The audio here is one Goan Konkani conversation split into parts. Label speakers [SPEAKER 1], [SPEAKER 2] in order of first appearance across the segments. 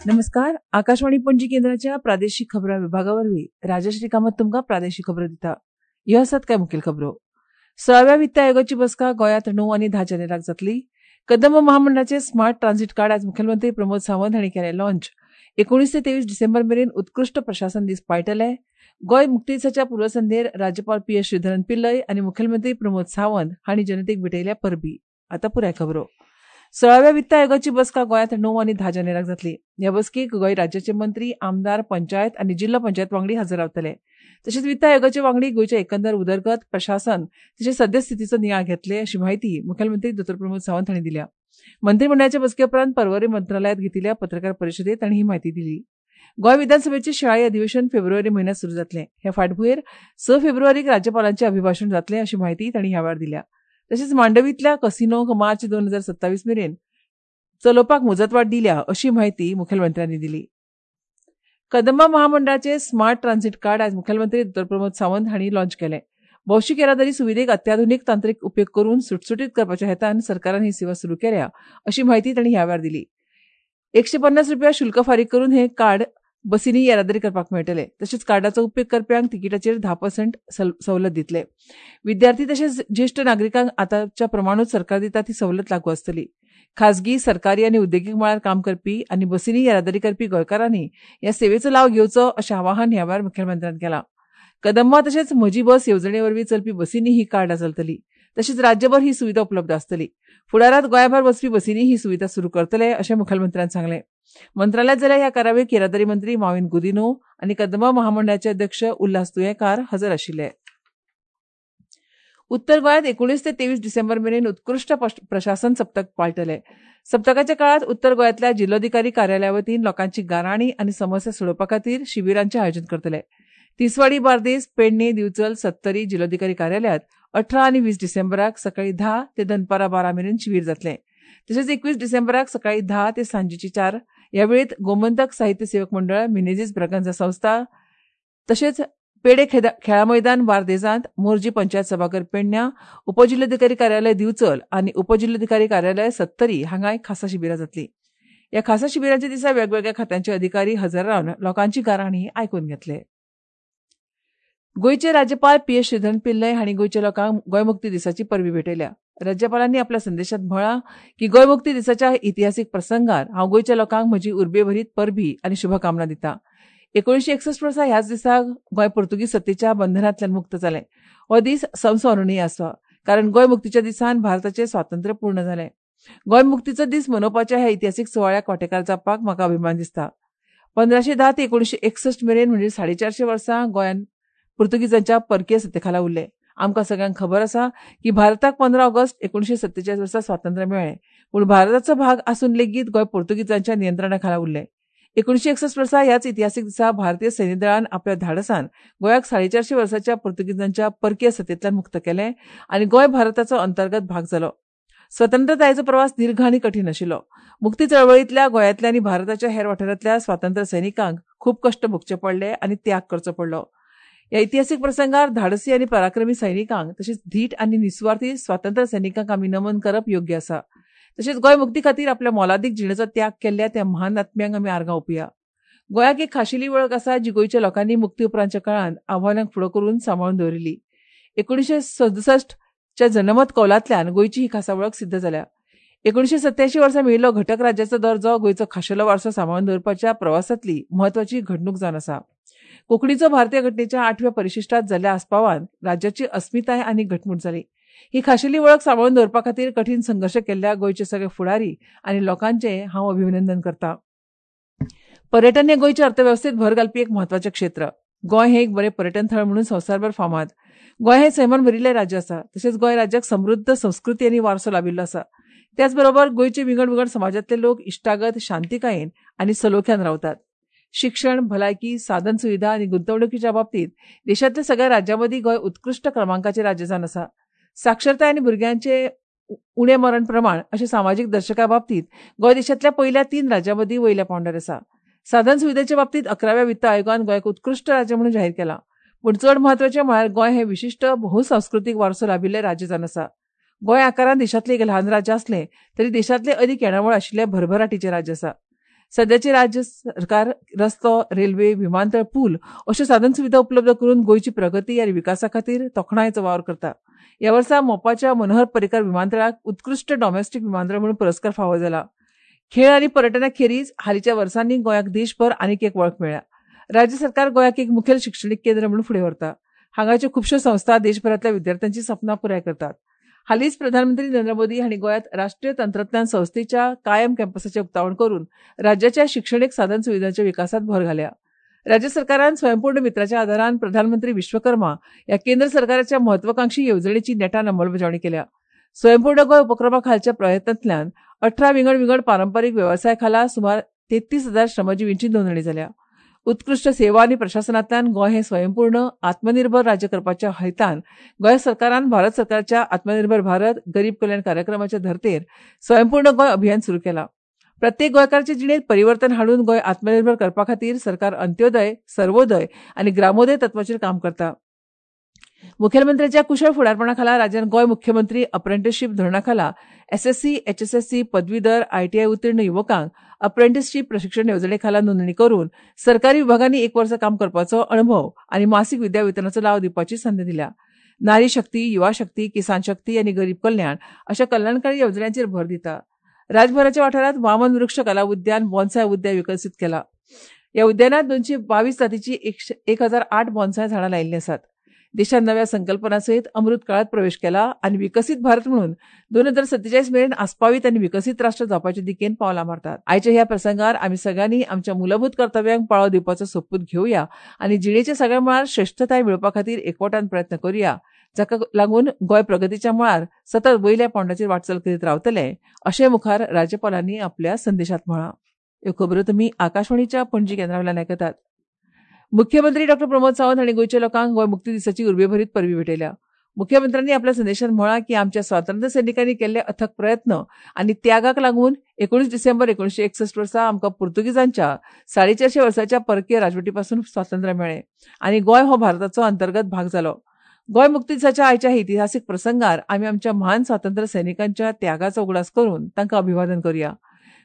[SPEAKER 1] नमस्कार, आकाशवाणी पणजी केंद्राच्या प्रादेशिक खबरां विभागा वरवीं राजश्री कामत तुमकां प्रादेशिक खबरो दिता. ह्यो आसात कांय मुखेल खबरो. 16व्या वित्त आयोगाची बसका गोंयांत 9 आनी 10 जानेराक जातली. कदंब महामंडळाचे स्मार्ट ट्रान्झिट कार्ड आज मुखेलमंत्री प्रमोद सावंत हांणी केलें लॉन्च. 19 ते 23 डिसेंबर मेरेन उत्कृश्ट प्रशासन दीस पाळटले. गोंय मुक्ती दिसाच्या पूर्वसंध्येर राज्यपाल पी एस श्रीधरन पिल्लय आनी मुखेलमंत्री प्रमोद सावंत हांणी जनतेक भेटयल्या परबी. आतां पुराय खबरो. 16व्या वित्त आयोगाची बसका गोंयांत 9 आनी 10 जानेराक जातली. ह्या बसकेक गोंय राज्याचे मंत्री, आमदार, पंचायत आनी जिल्लो पंचायत वांगडी हजर रावतले. तशेंच वित्त आयोगाचे वांगडी गोंयच्या एकंदर उदरगत, प्रशासन तशेंच सद्यस्थितीचो नियाळ घेतले अशी म्हायती मुखेलमंत्री दो. प्रमोद सावंत हांणी दिल्या. मंत्रिमंडळाच्या बसके उपरांत पर्वरी मंत्रालयांत घेतिल्ल्या पत्रकार परिशदेंत तांणी ही म्हायती दिली. गोंय विधानसभेचें शिंयाळी अधिवेशन फेब्रुवारी म्हयन्यांत सुरू जातलें. हे फाटभुंयेर 6 फेब्रुवारीक राज्यपालांचें अभिभाशण जातलें अशी म्हायती तांणी ह्या वेळार दिल्या. तशेंच मांडवींतल्या कसिनोक मार्च 2027 मेरेन चलोवपाक मुजतवाड दिल्या अशी म्हायती मुखेलमंत्र्यांनी दिली. कदंबा महामंडळाचे स्मार्ट ट्रान्झिट कार्ड आज मुखेलमंत्री दो. प्रमोद सावंत हांणी लॉन्च केलें. भौशीक येरादारी सुविधेक अत्याधुनीक तांत्रिक उपेग करून सुटसुटीत करपाच्या हेतान सरकारान ही सेवा सुरू केल्या अशी म्हायती तांणी ह्या वेळार दिली. 150 रुपया शुल्क फारीक करून हें कार्ड बसींनी येरादारी करपाक मेळटले. तशेंच कार्डाचो उपेग करप्यांक तिकिटाचेर 10% सवलत दितले. विद्यार्थी तशेंच ज्येश्ठ नागरिकांक आतांच्या प्रमाणूच सरकार दिता ती सवलत लागू आसतली. खाजगी, सरकारी आनी उद्देगीक मळार काम करपी आनी बसींनी येरादारी करपी गोंयकारांनी ह्या सेवेचो लाव घेवचो अशें आवाहन ह्या वेळार मुखेलमंत्र्यान केलां. कदंबा तशेंच म्हजी बस येवजणे वरवीं चलपी बसींनी ही कार्डां चलतली. तशेंच राज्यभर ही सुविधा उपलब्ध आसतली. फुडारांत गोंयाभायर वचपी बसींनी ही सुविधा सुरू करतले अशें मुखेलमंत्र्यान सांगलें. मंत्रालयांत जाल्या ह्या कार्यावळीक येरादारी मंत्री माविन गुदिन्हो आनी कदंबा महामंडळाचे अध्यक्ष उल्हास तुयेंकार हजर आशिल्ले. उत्तर गोंयांत 19 ते 23 डिसेंबर मेरेन उत्कृश्ट प्रशासन सप्तक पाळटले. सप्तकाच्या काळांत उत्तर गोंयांतल्या जिल्लोधिकारी कार्यालया वतीन लोकांची गाराणी आनी समस्या सोडोवपा खातीर शिबिरांचें आयोजन करतले. तिसवाडी, बार्देस, पेडणे, दिवचल, सत्तरी जिल्लोधिकारी कार्यालयांत 18 आनी 20 डिसेंबराक सकाळीं 10 ते दनपारां 12 मेरेन शिबीर जातलें. तशेंच 21 डिसेंबराक सकाळीं 10 ते सांजेची 4 ह्या वेळेत गोमंतक साहित्य सेवक मंडळ, मिनेझीस ब्रागांझा संस्था तशेंच पेडे खेळा मैदान बार्देजांत, मोरजी पंचायत सभाघर पेडण्यां, उपजिल्लोधिकारी कार्यालय दिवचल आनी उपजिल्लोधिकारी कार्यालय सत्तरी हांगाय खासा शिबिरां जातलीं. ह्या खासा शिबिरांच्या दिसा वेगवेगळ्या खात्यांचे अधिकारी हजर रावन लोकांची गाराणी आयकून घेतले. गोंयचे राज्यपाल पी एस श्रीधरन पिल्लय हांणी गोंयच्या लोकांक गोंय मुक्ती दिसाची परबी भेटयल्या. राज्यपालांनी आपल्या संदेशांत म्हळां की गोंय मुक्ती दिसाच्या इतिहासीक प्रसंगार हांव गोंयच्या लोकांक म्हजी उर्बेभरीत परबी आनी शुभकामना दिता. 1961 वर्सा ह्याच दिसा गोंय पुर्तुगीज सत्तेच्या बंधनांतल्यान मुक्त जालें. हो दीस संस्मरणीय आसा कारण गोंय मुक्तीच्या दिसान भारताचें स्वातंत्र्य पूर्ण जालें. गोंय मुक्तीचो दीस मनोवपाच्या ह्या इतिहासीक सुवाळ्याक वांटेकार जावपाक म्हाका अभिमान दिसता. 1510 ते 1961 मेरेन म्हणजे 450 वर्सां गोंयान पुर्तुगीजांच्या परकीय सत्तेखाला उरलें. आमकां सगळ्यांक खबर आसा की भारताक 15 ऑगस्ट 1947 वर्सा स्वातंत्र्य मेळ्ळें, पूण भारताचो भाग आसून लेगीत गोंय पुर्तुगीजांच्या नियंत्रणा खाला उरलें. 1961 वर्सा ह्याच इतिहासीक दिसा भारतीय सैन्य दळान आपल्या धाडसान गोंयाक 450 वर्सांच्या पुर्तुगीजांच्या परकीय सत्तेंतल्यान मुक्त केलें आनी गोंय भारताचो अंतर्गत भाग जालो. स्वतंत्रतायेचो प्रवास दीर्घ आनी कठीण आशिल्लो. मुक्ती चळवळींतल्या गोंयांतल्या आनी भारताच्या हेर वाठारांतल्या स्वातंत्र्य सैनिकांक खूब कश्ट भोगचे पडले आनी त्याग करचो पडलो. ह्या इतिहासीक प्रसंगार धाडसी आनी पराक्रमी सैनिकांक तशेंच धीट आनी निसुवार्थी स्वातंत्र्य सैनिकांक आमी नमन करप योग्य आसा. तशेंच गोंय मुक्ती खातीर आपल्या मोलादीक जिणेचो त्याग केल्ल्या त्या महान आत्म्यांक आमी आर्गां ओंपुया. गोंयाक एक खाशेली वळख आसा जी गोंयच्या लोकांनी मुक्ती उपरांतच्या काळांत आव्हानांक फुडो करून सांबाळून दवरिल्ली. 1967च्या जनमत कौलांतल्यान गोंयची ही खासा वळख सिद्ध जाल्या. 1987 वर्सा मेळिल्लो घटक राज्याचो दर्जो गोंयचो खाशेलो वारसो सांबाळून दवरपाच्या प्रवासांतली म्हत्वाची घडणूक जावन आसा. कोंकणीचो भारतीय घटनेच्या 8व्या परिशिष्टांत जाल्ल्या आस्पावान राज्याची अस्मिताय आनी घटमूट जाली. ही खाशेली वळख सांबाळून दवरपा खातीर कठीण संघर्श केल्ल्या गोंयचे सगळे फुडारी आनी लोकांचें हांव अभिनंदन करता. पर्यटन हें गोंयचे अर्थवेवस्थेत भर घालपी एक म्हत्वाचें क्षेत्र. गोंय हें एक बरें पर्यटन थळ म्हणून संवसारभर फामाद. गोंय हें सैमान भरिल्लें राज्य आसा. तशेंच गोंय राज्याक समृद्ध संस्कृती आनी वारसो लाबिल्लो आसा. त्याचबरोबर गोंयचे विंगड विंगड समाजांतले लोक इश्टागत, शांतिकायेन आनी सलोख्यान रावतात. शिक्षण, भलायकी, साधन सुविधा आनी गुंतवणुकीच्या बाबतीत देशांतल्या सगळ्या राज्यांमदीं गोंय उत्कृश्ट क्रमांकाचें राज्य जावन आसा. साक्षरताय आनी भुरग्यांचे उणें मरण प्रमाण अशें सामाजीक दर्शका बाबतीत गोंय देशांतल्या पयल्या 3 राज्यांमदीं वयल्या पांवड्यार आसा. साधन सुविधेच्या बाबतीत 11व्या वित्त आयोगान गोंयाक उत्कृश्ट राज्य म्हणून जाहीर केलां. पूण चड म्हत्वाचें म्हळ्यार गोंय हें विशिश्ट बहुसांस्कृतीक वारसो लाभिल्लें राज्य जावन आसा. गोंय आकारान देशांतलें एक ल्हान राज्य आसलें तरी देशांतलें अदीक येणावळ आशिल्लें भरभराटीचें राज्य आसा. सद्याचें राज्य सरकार रस्तो, रेल्वे, विमानतळ, पूल अश्यो साधन सुविधा उपलब्ध करून गोंयची प्रगती आनी विकासा खातीर तोखणायेचो वावर करता. ह्या वर्सा मोपाच्या मनोहर पर्रीकर विमानतळाक उत्कृश्ट डॉमेस्टीक विमानतळ म्हणून पुरस्कार फावो जाला. खेळ आनी पर्यटना खेरीज हालींच्या वर्सांनी गोंयाक देशभर आनीक एक वळख मेळ्ळ्या. राज्य सरकार गोंयाक एक मुखेल शिक्षणीक केंद्र म्हणून फुडें व्हरता. हांगाच्यो खुबश्यो संस्था देशभरांतल्या विद्यार्थ्यांची सपनां पुराय करतात. हालींच प्रधानमंत्री नरेंद्र मोदी हांणी गोंयांत राष्ट्रीय तंत्रज्ञान संस्थेच्या कायम कॅम्पसाचें उक्तावण करून राज्याच्या शिक्षणीक साधन सुविधांच्या विकासांत भर घाल्या. राज्य सरकारान स्वयंपूर्ण मित्राच्या आदारान प्रधानमंत्री विश्वकर्मा ह्या केंद्र सरकाराच्या म्हत्वाकांक्षी येवजणेची नेटान अंमलबजावणी केल्या. स्वयंपूर्ण गोंय उपक्रमा खालच्या प्रयत्नांतल्यान 18 विंगड विंगड पारंपारीक वेवसाय खाला सुमार 33,000 श्रमजिवींची नोंदणी जाल्या. उत्कृश्ट सेवा आनी प्रशासनांतल्यान गोंय हें स्वयंपूर्ण आत्मनिर्भर राज्य करपाच्या हेतान गोंय सरकारान भारत सरकारच्या आत्मनिर्भर भारत गरीब कल्याण कार्यक्रमाच्या धर्तेर स्वयंपूर्ण गोंय अभियान सुरू केलां. प्रत्येक गोंयकाराचे जिणेंत परिवर्तन हाडून गोंय आत्मनिर्भर करपा खातीर सरकार अंत्योदय, सर्वोदय आनी ग्रामोदय तत्वाचेर काम करता. मुखेलमंत्र्याच्या कुशळ फुडारपणा खाला राज्यान गोंय मुख्यमंत्री अप्रेंटिसशीप धोरणा खाला एसएससी, एचएसएससी, पदवीधर, आयटीआय उत्तीर्ण युवकांक अप्रेंटिसशीप प्रशिक्षण येवजणे खाला नोंदणी करून सरकारी विभागांनी एक वर्स काम करपाचो अणभव आनी मासीक विद्यावेतनाचो लाव दिवपाची संद दिल्या. नारी शक्ती, युवा शक्ती, किसान शक्ती आनी गरीब कल्याण अशा कल्याणकारी येवजण्यांचेर भर दिता. राज्यभराच्या वाठारांत वामन वृक्ष कला उद्यान, बॉन्साय उद्यान विकसीत केला. ह्या उद्यानात 222 जातीची 1008 बॉन्साय झाडां लायिल्लीं आसात. देशान नव्या संकल्पना सयत अमृत काळात प्रवेश केला आनी विकसीत भारत म्हणून 2047 मेरेन आस्पावीत आनी विकसीत राष्ट्र जावपाचे दिकेन पावलां मारतात. आयच्या ह्या प्रसंगार आमी सगळ्यांनी आमच्या मूलभूत कर्तव्यांक पाळो दिवपाचो सोपूत घेवया आनी जिणेच्या सगळ्या मळार श्रेश्ठताय मेळोवपा खातीर एकवटान प्रयत्न करुया, जाका लागून गोंय प्रगतीच्या मळार सतत वयल्या पांवड्याचेर वाटचाल करीत रावतले, अशें मुखार राज्यपालांनी आपल्या संदेशात म्हळां. ह्यो खबरो तुमी आकाशवाणीच्या पणजी केंद्रा वयल्यान आयकतात. मुख्यमंत्री डॉ प्रमोद सावंत हांणी गोंयच्या लोकांक गोंय मुक्ती दिसाची उर्बेभरीत परबी भेटयल्या. मुख्यमंत्र्यांनी आपल्या संदेशात म्हळां की आमच्या स्वातंत्र्य सैनिकांनी केल्ले अथक प्रयत्न आनी त्यागाक लागून 19 डिसेंबर 1961 वर्सा आमकां पुर्तुगीजांच्या 450 वर्सांच्या परकीय राजवटीपासून स्वातंत्र्य मेळ्ळें आनी गोंय हो भारताचो अंतर्गत भाग जालो. गोंय मुक्ती दिसाच्या आयच्या इतिहासीक प्रसंगार आमी आमच्या महान स्वातंत्र्य सैनिकांच्या त्यागाचो उगडास करून तांकां अभिवादन करुया.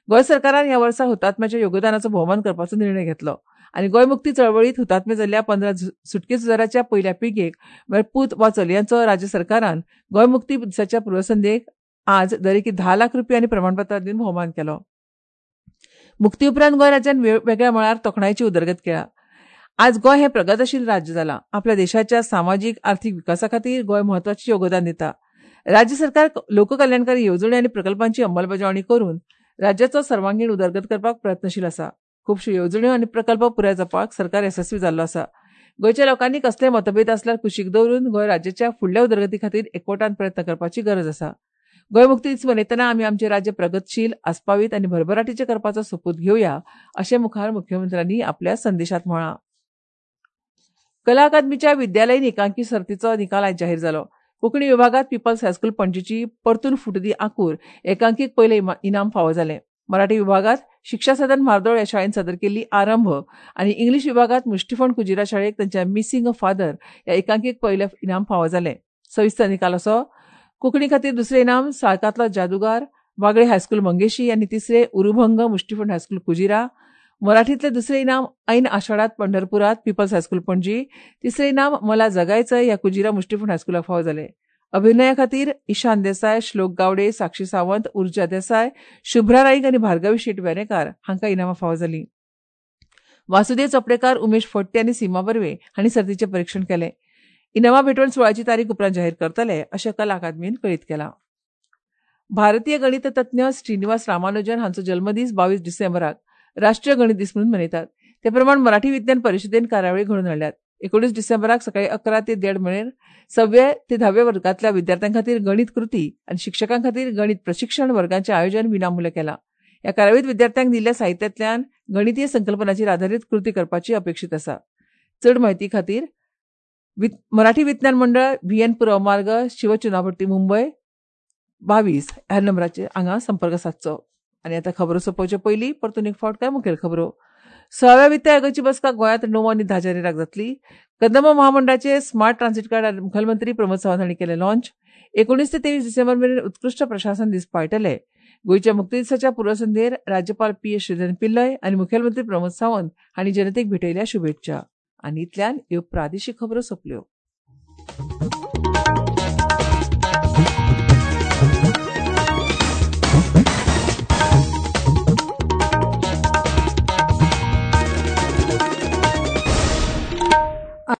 [SPEAKER 1] गोंय सरकारान ह्या वर्सा हुतात्म्याच्या योगदानाचो भोवमान करपाचो निर्णय घेतलो आनी गोंय मुक्ती चळवळीत हुतात्मे जाल्ल्या 15 सुटके झुजाराच्या पयल्या पिळगेक म्हळ्यार पूत वा चलयांचो राज्य सरकारान गोंय मुक्ती दिसाच्या पूर्वसंध्येक आज दरेकी 10 लाख रुपया आनी प्रमाणपत्रां दिवन भोवमान केलो. मुक्ती उपरांत गोंय राज्यान वेगळ्या मळार तोखणायेची उदरगत केल्या. आज गोंय हें प्रगतशील राज्य जालां. आपल्या देशाच्या सामाजीक आर्थीक विकासा खातीर गोंय म्हत्वाचें योगदान दिता. राज्य सरकार लोककल्याणकारी येवजण्यो आनी प्रकल्पांची अंमलबजावणी करून राज्याचो सर्वांगीण उदरगत करपाक प्रयत्नशील आसा. खुबश्यो येवजण्यो आनी प्रकल्प पुराय जावपाक सरकार येसस्वी जाल्लो आसा. गोंयच्या लोकांनी कसलेय मतभेद आसल्यार कुशीक दवरून गोंय राज्याच्या फुडल्या उदरगती खातीर एकवटान प्रयत्न करपाची गरज आसा. गोंय मुक्ती दीस मनयतना आमी आमचें राज्य प्रगतशील, आस्पावीत आनी भरभराटीचें करपाचो सोपूत घेवया, अशें मुखार मुख्यमंत्र्यांनी आपल्या संदेशात म्हळां. कला अकादमीच्या विद्यालयीन एकांकी सर्तीचो निकाल आयज जाहीर जालो. कोंकणी विभागात पीपल्स हायस्कूल पणजीची परतून फुटदी आंकूर एकांकीक पयलें इनाम फावो जालें. मराठी विभागात शिक्षा सदन म्हार्दोळ ह्या शाळेन सादर केल्ली आरंभ आनी इंग्लीश विभागात मुष्टिफण कुजिरा शाळेक तांच्या मिसिंग अ फादर ह्या एकांकीक पयलें इनाम फावो जालें. सविस्तर निकाल असो: कोंकणी खातीर दुसरें इनाम साळकांतलो जादुगार वागळे हायस्कूल मंगेशी आनी तिसरें उरुभंग मुष्टिफण हायस्कूल कुजिरा. मराठीतले दुसरे इनाम ऐन आषाढात पंढरपुरात पीपल्स हायस्कूल पणजी. तिसरे इनाम मला जगायचं ह्या कुजिरा मुष्टिफण हायस्कुलाक फावो जालें. अभिनया खातीर ईशान देसाय, श्लोक गावडे, साक्षी सावंत, उर्जा देसाय, शुभ्रा नाईक आनी भार्गवी शेट वेरेंकार हांकां इनामां फावो जालीं. वासुदेव चोपडेकार, उमेश फडते आनी सीमा बर्वे हांणी सर्तीचें परिक्षण केलें. इनामां भेटवण सुवाळ्याची तारीख उपरांत जाहीर करतले, अशें कला अकादमीन कळीत केलां. भारतीय गणिततज्ञ श्रीनिवास रामानुजन हांचो जल्मदीस 22 डिसेंबराक राष्ट्रीय गणित दीस म्हणून मनयतात. ते प्रमाण मराठी विज्ञान परिशदेन कार्यावळी घडोवन हाडल्यात. 19 डिसेंबराक सकाळी 11 ते 1:30 मेरेन 6व्या ते 10व्या वर्गांतल्या विद्यार्थ्यां खातीर गणित कृती आनी शिक्षकां खातीर गणित प्रशिक्षण वर्गांचें आयोजन विनामूल्य केलां. ह्या कार्यावळींत विद्यार्थ्यांक दिल्ल्या साहित्यांतल्यान गणितीय संकल्पनाचेर आधारीत कृती करपाची अपेक्षीत आसा. चड म्हायती खातीर मराठी विज्ञान मंडळ, व्ही एन पुरव मार्ग, शिवचुनाभट्टी, मुंबय 22 ह्या नंबराचेर हांगा संपर्क सादचो. आनी आतां खबरो सोंपोवचे पयलीं परतून एक फावट काय मुखेल खबरो. सोळाव्या वित्त आयोगाची बसका गोंयांत 9 आनी 10 जानेराक जातली. कदंब महामंडळाचे स्मार्ट ट्रान्सीट कार्ड मुखेलमंत्री प्रमोद सावंत हांणी केलें लॉन्च. 19 ते 23 डिसेंबर मेरेन उत्कृश्ट प्रशासन दीस पाळटले. गोंयच्या मुक्ती दिसाच्या पूर्वसंध्येर राज्यपाल पी. श्रीधरन पिल्लय आनी मुखेलमंत्री प्रमोद सावंत हांणी जनतेक भेटयल्या शुभेच्छा. आनी इतल्यान ह्यो प्रादेशीक खबरो सोंपल्यो.